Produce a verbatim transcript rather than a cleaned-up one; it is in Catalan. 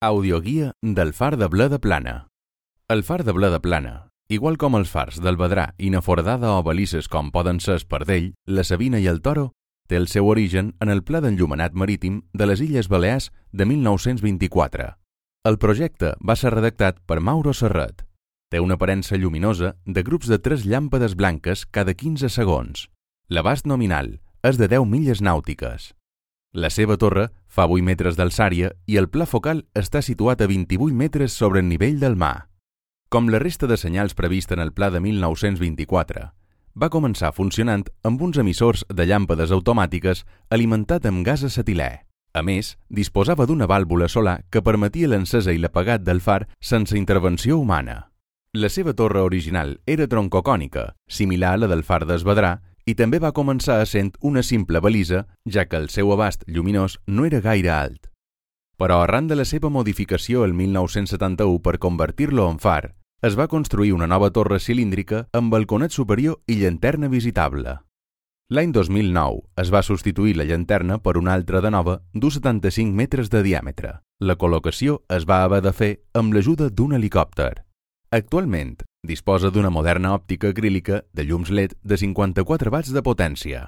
Audioguia del far de Ble de Plana. El far de Ble de Plana, igual com els fars del Vedrà i na Foradada o balisses com poden ser Espardell, la Sabina i el Toro, té el seu origen en el Pla d'Enllumenat Marítim de les Illes Balears de mil nou-cents vint-i-quatre. El projecte va ser redactat per Mauro Serret. Té una aparença lluminosa de grups de tres llàmpades blanques cada quinze segons. L'abast nominal és de deu milles nàutiques. La seva torre fa vuit metres d'alçària i el pla focal està situat a vint-i-vuit metres sobre el nivell del mar. Com la resta de senyals prevista en el pla de mil nou-cents vint-i-quatre, va començar funcionant amb uns emissors de llàmpades automàtiques alimentat amb gas acetilè. A més, disposava d'una vàlvula solar que permetia l'encesa i l'apagat del far sense intervenció humana. La seva torre original era troncocònica, similar a la del far d'Es Vedrà, i també va començar essent una simple balisa, ja que el seu abast lluminós no era gaire alt. Però arran de la seva modificació el mil nou-cents setanta-u per convertir-lo en far, es va construir una nova torre cilíndrica amb balconet superior i llanterna visitable. L'any dos mil nou es va substituir la llanterna per una altra de nova d'uns setanta-cinc metres de diàmetre. La col·locació es va haver de fer amb l'ajuda d'un helicòpter. Actualment disposa d'una moderna òptica acrílica de llums L E D de cinquanta-quatre watts de potència.